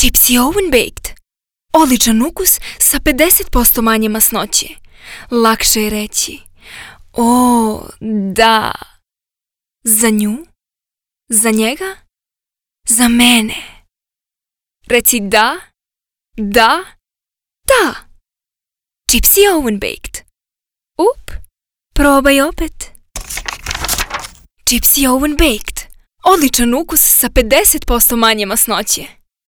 Čipsi Oven Baked. Odličan ukus sa 50% manje masnoće. Lakše je reći: o, da. Za nju? Za njega? Za mene. Reci da, da, da. Čipsi Oven Baked. Probaj opet. Čipsi Oven Baked. Odličan ukus sa 50% manje masnoće.